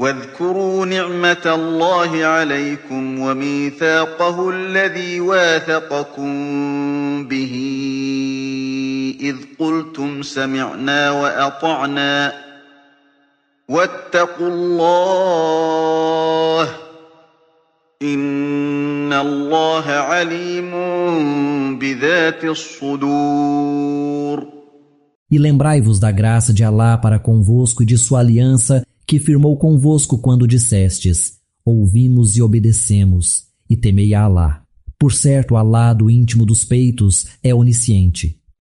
واذكروا نعمة الله عليكم وميثاقه الذي واثقكم به إذ قلتم سمعنا وأطعنا واتقوا الله إن الله عليم بذات الصدور. E lembrai-vos da graça de Alá para convosco e de sua aliança que firmou convosco quando dissestes: ouvimos e obedecemos, e temei a Alá. Por certo, Alá do íntimo dos peitos é onisciente.